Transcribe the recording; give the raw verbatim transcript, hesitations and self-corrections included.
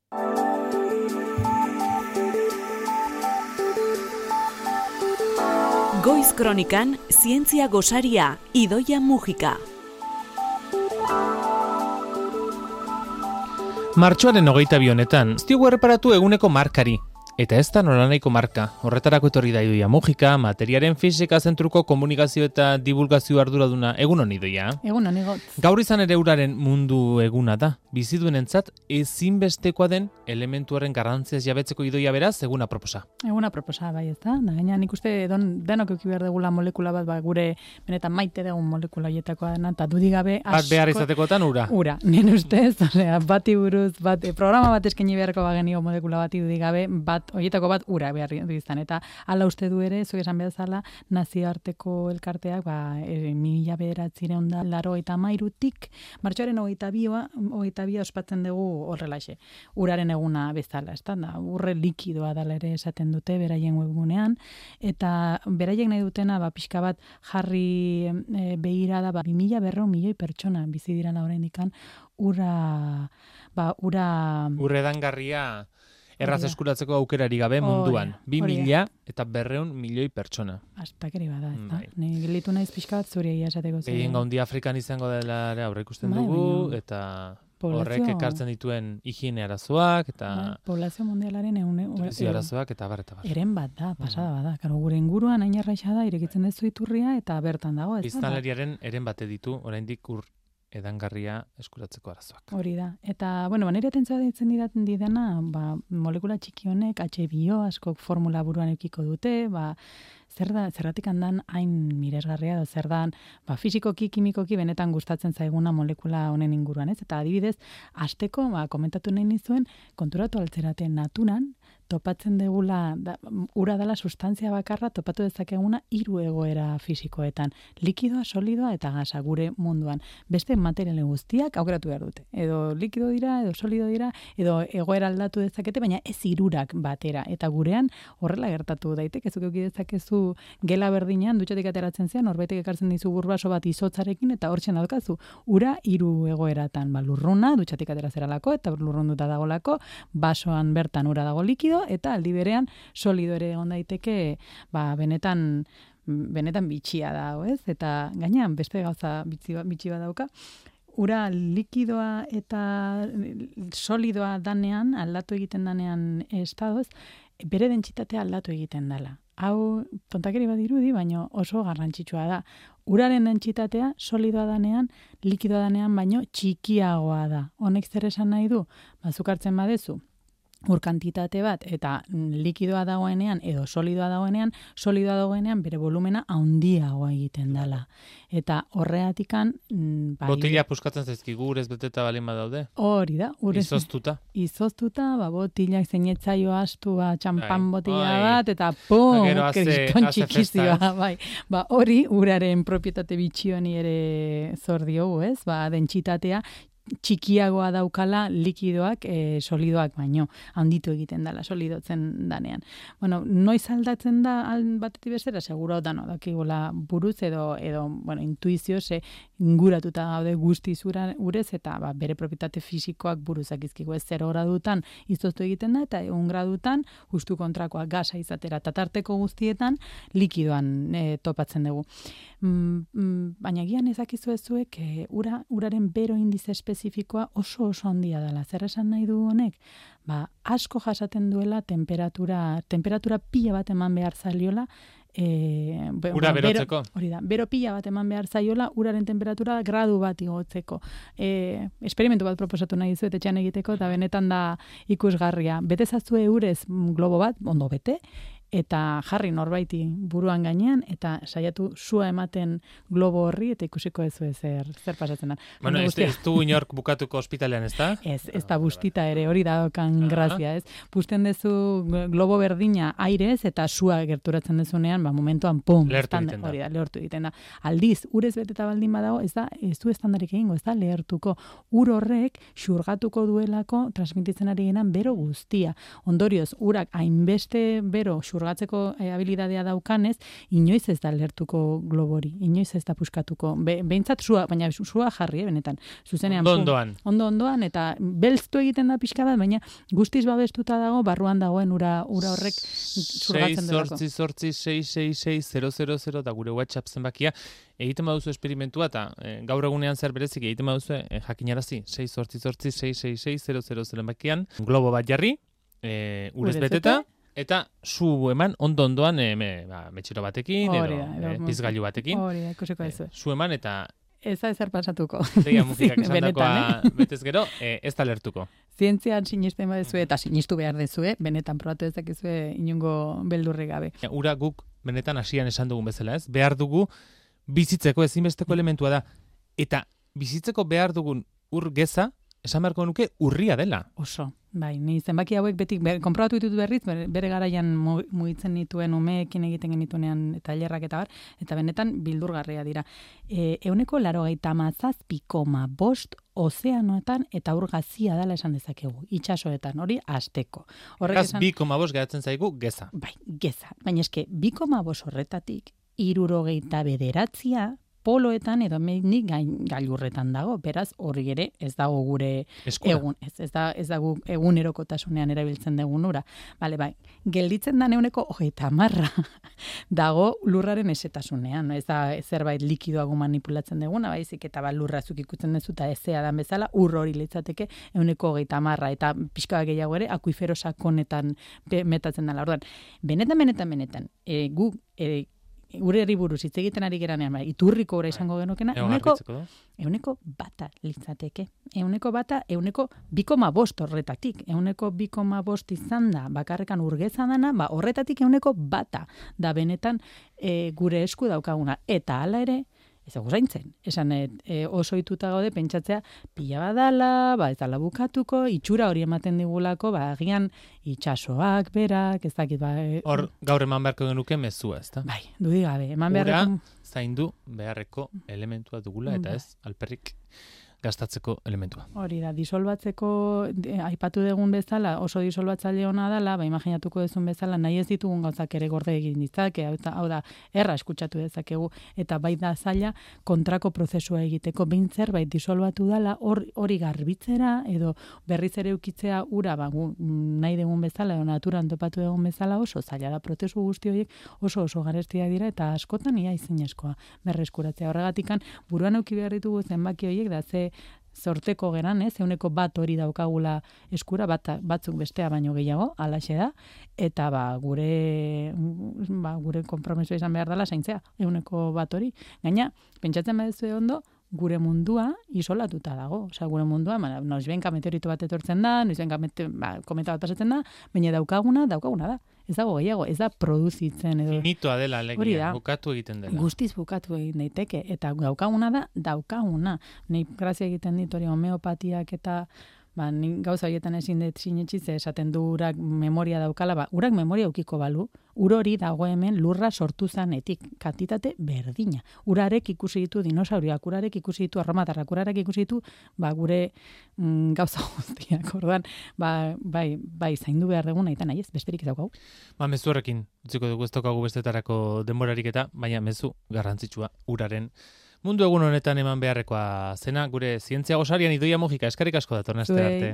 Goiz Kronikan, zientzia gosaria, Idoia Mujika. Martxoaren hogeita bi honetan, ez diogu erreparatu eguneko markari. Eta ez da nolanaiko marka. Horretarako etorri da Idoia Mujika, materiaren fisika zentruko komunikazio eta divulgazio arduraduna. Egun honi, Idoia? Egun honi got. Gaur izan ere uraren mundu eguna da. Biziduenentzat ezinbestekoa den elementuaren garrantziaz jabetzeko, Idoia, beraz, eguna proposa. Eguna proposa, bai, ez da. Da, gaina nik uste don, denok euki behar degula molekula bat, ba, gure benetan maite dugun molekula hietakoa dena, eta dudik gabe asko... Bat behar izatekotan ura. Ura, nien ustez, osea, bati buruz, bat, programa bat eskaini beharko bagenio molekula bati dudik gabe, bat, horietako bat ura behar izan. Eta hala uste du ere, zuek esan bezala, nazioarteko elkarteak, ba, e, mila bederatzireun da, laro eta mairutik, martxoaren hogeita bia, hogeita bia ospatzen dugu horrelaxe. Uraren eguna bezala, ez da, urre likidoa dala ere esaten dute, beraien webgunean, eta beraiek nahi dutena, ba, pixka bat jarri e, behira da, ba, bi mila berrehun milioi pertsona bizi dirala oraindikan, ura, ba, ura... Urredangarria... Erraz eskuratzeko aukerari gabe munduan. Bi mila eta berreun milioi pertsona. Astakeri bada, ez da. Ni gelitu naiz pixka bat zure esateko. Egin gaundi Afrikan izango dela aurre ikusten dugu, eta horrek ekartzen dituen higiene arazoak, eta... Poblazio mundialaren egun... arazoak, eta bar, eta bar. Eren bat da, pasada bada. Karo, gure inguruan hain arraixa da, irekitzen dezu iturria, eta bertan dago, ez da. Biztanleriaren eren bate ditu, oraindik ur edangarria eskuratzeko arazoak. Hori da. Eta, bueno, nire atentzioa ditzen didaten didana, ba, molekula txiki honek, H bio askok formula buruan eukiko dute, ba, zer da, zerratik handan hain miresgarria da, zer da, ba, fizikoki, kimikoki benetan gustatzen zaiguna molekula honen inguruan, ez? Eta adibidez, hasteko, ba, komentatu nahi nizuen, konturatu altzerate naturan, topatzen degula, da, ura dela sustantzia bakarra, topatu dezakeguna hiru egoera fisikoetan. Likidoa, solidoa eta gasa gure munduan. Beste materiale guztiak aukeratu behar dute. Edo likido dira, edo solido dira, edo egoera aldatu dezakete, baina ez hirurak batera. Eta gurean horrela gertatu daiteke, zuk eduki dezakezu gela berdinean, dutxatik ateratzen zean, horbetek ekartzen dizu burbaso bat izotzarekin, eta hortzen daukazu, ura hiru egoeratan. Ba, lurruna, dutxatik aterazeralako, eta lurrunduta dagolako, basoan bertan ura dago likido, eta aldi berean solido ere egon daiteke, ba, benetan benetan bitxia da, ez? Eta gainean beste gauza bitxi bitxi badauka. Ura likidoa eta solidoa danean, aldatu egiten danean estadoz, bere dentsitatea aldatu egiten dela. Hau tontakeri badirudi, baino oso garrantzitsua da. Uraren dentsitatea solidoa danean, likidoa danean, baino txikiagoa da. Honek zer esan nahi du? Bazuk hartzen badezu, ur kantitate bat, eta likidoa dagoenean, edo solidoa dagoenean, solidoa dagoenean bere volumena handiagoa egiten dela. Eta horreatikan... Bai, botila puskatzen zaizkigu, urez beteta balin badaude? Hori da. Urez, izoztuta. Izoztuta, ba, botilak zeinetzaio astu, ba, txampan botila bat, eta pum, kriston txikizioa. Bai. Ba, hori, uraren propietate bitxioni ere zor diogu, ez? Ba, dentsitatea, txikiagoa daukala likidoak e, solidoak baino, handitu egiten dela, solidotzen danean. Bueno, noiz aldatzen da batetik bestera, seguro dano dakigula buruz edo, edo bueno, intuizio, ze inguratuta gaude guztiz urez, eta ba, bere propietate fisikoak buruzak izkigu, ez zero gradutan izoztu egiten da, eta egun gradutan justu kontrakoa gasa izatera, tatarteko guztietan likidoan e, topatzen dugu. Mm, mm, baina gian ezakizu ezuek, e, ura, uraren bero indize espezifikoa oso oso handia dela. Zer esan nahi du honek? Ba, asko jasaten duela temperatura, temperatura pila bat eman behar zailiola, E, be, ura berotzeko. Bero, hori da, bero pila bat eman behar zaiola, uraren temperatura gradu bat igotzeko. E, esperimentu bat proposatu nahi dizuet etxean egiteko, eta benetan da ikusgarria. Bete zazue urez globo bat, ondo bete, eta jarri norbaiti buruan gainean, eta saiatu sua ematen globo horri, eta ikusiko ez zer, zer pasatzen da. Bueno, ez, ez du inork bukatuko ospitalean, ez da? Ez, ez da bustita ere, hori da dokan grazia, ez? Pusten dezu globo berdina airez, eta sua gerturatzen dezunean, ba, momentuan, pum, lehertu egiten da. Hori da, lehertu egiten da. Aldiz, urez beteta baldin badago, ez da, ez du estandarik egingo, ez da, lehertuko. Ur horrek, xurgatuko duelako, transmititzen ari genan, bero guztia. Ondorioz, urak hainbeste bero xurgatuko zurgatzeko e, habilidadea daukanez, inoiz ez da lertuko globori, inoiz ez da puskatuko. Be, behintzat sua, baina sua jarri, eh, benetan. Zuzenean, ondo ondoan. Ondo ondoan, eta belztu egiten da pixka bat, baina guztiz babestuta dago, barruan dagoen ura, ura horrek zurgatzen delako. sei, zortzi, sei, sei, sei, zero, zero, zero, da gure WhatsApp zenbakia. Egiten baduzu esperimentua, eta e, gaur egunean zer berezik egiten baduzu e, jakinarazi, sei, zortzi, zortzi, sei, sei, sei, zero, zero, zero zenbakian, globo bat jarri, e, urez beteta, eta zu eman ondo ondoan e, me, ba, metxero batekin, edo, edo e, pizgailu batekin. Hori da, ikusiko ez. E, zu eman eta... Ez da ezer pasatuko. Deia mugikak esan dakoa eh? betez gero, e, ez da lertuko. Zientzian sinisten badezue, eta sinistu behar dezue, benetan probatu ezakizue inungo beldurri gabe. Ura guk benetan hasian esan dugun bezala, ez? Behar dugu bizitzeko ezinbesteko elementua da. Eta bizitzeko behar dugun ur geza, esan beharko nuke urria dela. Oso, bai, ni zenbaki hauek beti, ber, konprobatu ditut berriz, bere, bere garaian mugitzen nituen umeekin egiten genituenean tailerrak eta bar, eta benetan bildurgarria dira. E, euneko laro gaita mazazpi koma bost ozeanoetan eta ur gazia dela esan dezakegu, itxasoetan, hori asteko. Horregaz, bi koma bost geratzen zaigu geza. Bai, geza. Baina eske, bi koma bost horretatik, irurogeita bederatzia, poloetan edo menik gailurretan dago, beraz hori ere ez dago gure Eskura. egun, ez, ez da ez dago egunerokotasunean erabiltzen dugun ura. Bale, bai, gelditzen da neuneko hogeita hamarra dago lurraren esetasunean, ez da zerbait likidoago manipulatzen duguna, baizik eta ba lurrazuk ikutzen duzu eta ezea dan bezala ur hori litzateke ehuneko hogeita hamarra eta pixka gehiago ere akuifero sakonetan metatzen dela. Orduan, benetan benetan benetan, e, gu e, ureri buruz hitz egiten ari geranean, bai, iturriko ura izango genukena, euneko, euneko bata litzateke. Euneko bata, euneko bikoma bost horretatik. Euneko bikoma bost izan da, bakarrekan urgeza dana, ba, horretatik euneko bata da benetan e, gure esku daukaguna. Eta hala ere, ez dago zaintzen. Esan e, oso ituta gaude pentsatzea pila badala, ba ez dala bukatuko, itxura hori ematen digulako, ba agian itxasoak, berak, ez dakit ba... E, Hor, gaur eman beharko genuke mezua, ezta? Bai, dudi gabe, eman beharreko... Ura zaindu beharreko elementua dugula, eta ez, alperrik gastatzeko elementua. Hori da, disolbatzeko, de, aipatu dugun bezala, oso disolbatzaile ona dela, ba, imaginatuko duzun bezala, nahi ez ditugun gauzak ere gorde egin ditzake, hau da, erra eskutsatu dezakegu, eta bai da zaila kontrako prozesua egiteko, behin zerbait disolbatu dela, hori or, garbitzera, edo berriz ere ukitzea ura, ba, gu, nahi dugun bezala, edo naturan topatu dugun bezala, oso zaila da, prozesu guzti horiek oso oso garestiak dira, eta askotan ia izinezkoa berreskuratzea. Horregatikan, buruan euki behar ditugu zenbaki horiek, da ze sorteko geran, ez, euneko bat hori daukagula eskura, bat, batzuk bestea baino gehiago, alaxe da, eta ba, gure, ba, gure konpromiso izan behar dela zaintzea, euneko bat hori. Gaina, pentsatzen baduzu ondo, gure mundua isolatuta dago. Osea, gure mundua, ba, noizbenka meteorito bat etortzen da, noizbenka ba, kometa bat pasatzen da, baina daukaguna, daukaguna da. Ez dago gehiago, ez da produzitzen edo... Finitoa dela, legia, bukatu egiten dela. Guztiz bukatu egin daiteke, eta daukaguna da, daukaguna. Nei grazia egiten dit hori homeopatiak eta ba, gauza horietan ezin dut sinetxiz esaten du urak memoria daukala, ba, urak memoria ukiko balu, ur hori dago hemen lurra sortu zanetik, kantitate berdina. Urarek ikusi ditu dinosauriak, urarek ikusi ditu arromatarrak, urarek ikusi ditu ba, gure mm, gauza guztiak, orduan, ba, bai, bai, zaindu behar dugun nahi eta nahi ez, besterik ez daukagu. Ba, mezu horrekin, utziko dugu ez daukagu bestetarako denborarik eta, baina mezu garrantzitsua uraren mundu egun honetan eman beharrekoa zena, gure zientzia gosarian Idoia Mujika, eskerrik asko datorren aste arte.